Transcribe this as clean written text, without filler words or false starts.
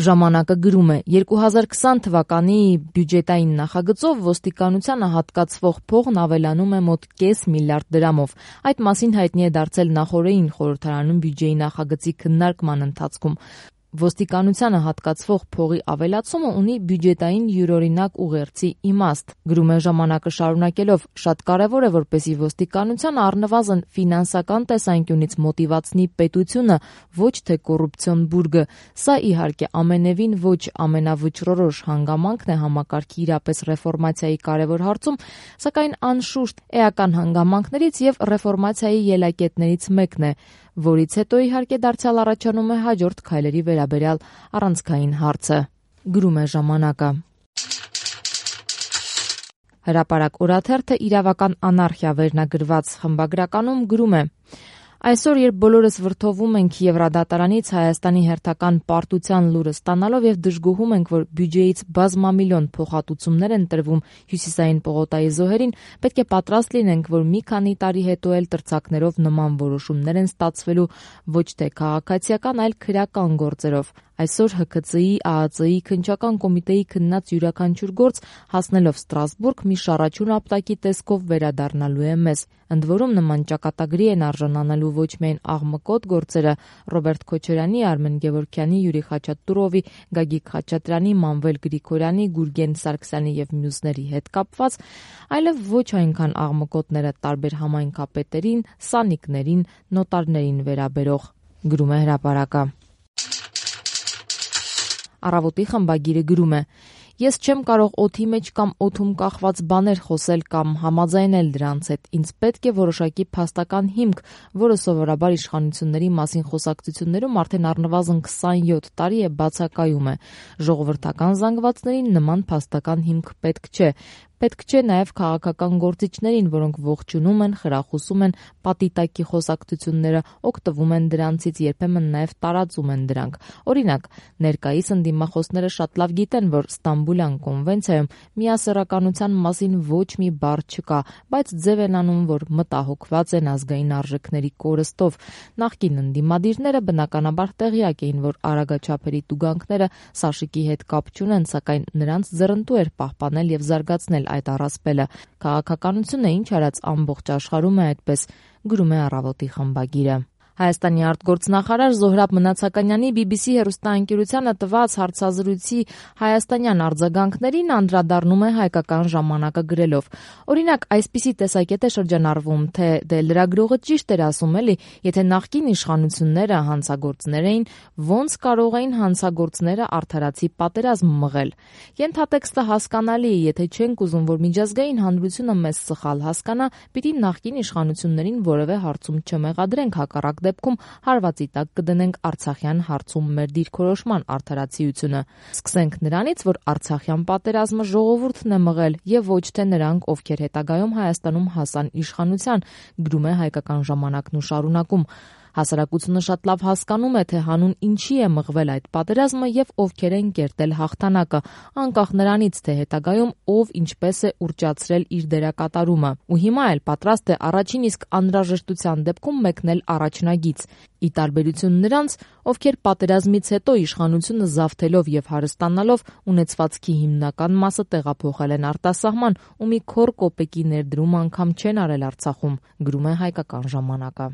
Ժամանակը գրում է. 2020 թվականի բյուջետային նախագծով ոստիկանությանը հատկացվող փողն ավելանում է մոտ կես միլիարդ դրամով։ Այդ մասին հայտնի է դարձել նախօրեին խորհրդարանում բյուջեի նախագծի քննարկման ընթացքում։ Ոստիկանությանը հատկացվող փողի ավելացումը ունի բյուջետային յուրօրինակ ուղերձի իմաստ, գրում է ժամանակը շարունակելով. շատ կարևոր է, որպեսզի ոստիկանությանը առնվազն ֆինանսական տեսանկյունից մոտիվացնի պետությունը, ոչ թե կոռուպցիոն բուրգը։ Սա իհարկե ամենևին ոչ ամենավճռորոշ հանգամանքն է համակարգի իրապես ռեֆորմացիայի կարևոր հարցում, սակայն անշուշտ էական հանգամանքներից եւ ռեֆորմացիայի ելակետներից մեկն է, որից հետո իհարկե դարձյալ առաջանում է հաջորդ քայլերի վերաբերյալ առանցքային հարցը, գրում է ժամանակը։ Հրապարակ օրաթերթը իրավական անարխիա վերնագրված խմբագրականում գրում է. Այսօր, երբ բոլորս վրդովում ենք Եվրադատարանից Հայաստանի հերթական պարտության լուրը ստանալով եւ դժգոհում ենք, որ բյուջեից բազմամիլիոն փոխհատուցումներ են տրվում հյուսիսային պողոտայի զոհերին, պետք է պատրաստ լինենք, որ մի քանի տարի հետո էլ տրցակներով նման որոշումներ են ստացվելու ոչ թե քաղաքացիական, այլ քրեական գործերով։ Այսօր ՀՔԾ-ի, ԱԱԾ-ի, Քննչական կոմիտեի քննած յուրաքանչյուր գործ հասնելով Ստրասբուրգ մի շառաչուն ապտակի տեսքով վերադառնալու է մեզ։ Ընդ որում նման ճակատագրի են արժանանալու ոչ միայն աղմկոտ գործերը Ռոբերտ Քոչարյանի, Արմեն Գևորգյանի, Յուրի Խաչատուրովի, Գագիկ Խաչատրյանի, Մանվել Գրիգորյանի, Գուրգեն Սարգսյանի եւ մյուսների հետ կապված, այլև ոչ այնքան աղմկոտները տարբեր համայնքապետերին, սանիկներին, նոտարներին վերաբերող, գրում է հրապարակը։ Առավոտի խմբագիրը գրում է. Ես չեմ կարող օդի մեջ կամ օդում կախված բաներ խոսել կամ համաձայնել դրանց հետ։ Ինձ պետք է որոշակի փաստական հիմք, որը սովորաբար իշխանությունների մասին խոսակցություններում արդեն առնվազն 27 տարի է բացակայում է։ Ժողովրդական զանգվածներին նման փաստական հիմք պետք չէ։ Պետք չէ նաև քաղաքական գործիչներին, որոնք ողջունում են, խրախուսում են պատիտակի խոսակցությունները, օգտվում են դրանցից, երբեմն նաև տարածում են դրանք։ Օրինակ, ներկայիս ընդդիմախոսները շատ լավ գիտեն, որ Ստամբուլյան կոնվենցիայում միասեռականության մասին ոչ մի բառ չկա, բայց ձև են անում, որ մտահոգված են ազգային արժեքների կորստով։ Նախկին ընդդիմադիրները բնականաբար տեղյակ էին, որ արագաչափերի տուգանքները Սաշիկի հետ կապ չունեն, սակայն նրանց ձեռնտու էր պահպանել եւ զարգացնել այդ առասպելը։ Քաղաքականությունը ինչ արած ամբողջ աշխարհում է այդպես, գրում է Առավոտի խմբագիրը։ Հայաստանի արտգործնախարար Զոհրաբ Մնացականյանի BBC հեռուստաընկերությանը տված հարցազրույցի հայաստանյան արձագանքներին անդրադառնում է Հայկական ժամանակը գրելով. Օրինակ, այսպիսի տեսակետ է շրջանառվում, թե դե լրագրողը ճիշտ էր ասում էլի, եթե նախկին իշխանությունները հանցագործներ էին, ոնց կարող էին հանցագործները արդարացի պատերազմ մղել։ Ենթատեքստը հասկանալի է, եթե չենք ուզում, որ միջազգային հանրությունը մեզ սխալ հասկանա, պիտի նախկին իշխանություններին որևէ հարցում չմեղադրենք, հակառակ դեպքում հարվածի տակ կդնենք Արցախյան հարցում մեր դիրքորոշման արդարացիությունը։ Սկսենք նրանից, որ Արցախյան պատերազմը ժողովուրդն է մղել եւ ոչ թե նրանք, ովքեր հետագայում Հայաստանում հասան իշխանության, գրում է Հայկական ժամանակն ու շարունակում։ Հասարակությունը շատ լավ հասկանում է, թե հանուն ինչի է մղվել այդ պատերազմը եւ ովքեր են կերտել հաղթանակը, անկախ նրանից, թե հետագայում ով ինչպես է ուռճացրել իր դերակատարումը։ Ու հիմա էլ պատրաստ է առաջին իսկ անհրաժեշտության դեպքում մեկնել առաջնագիծ, ի տարբերություն նրանց, ովքեր պատերազմից հետո իշխանությունը զավթելով եւ հարստանալով ունեցվածքի հիմնական մասը տեղափոխել են արտասահման ու մի քոռ կոպեկի ներդրում անգամ չեն արել Արցախում, գրում է Հայկական ժամանակը։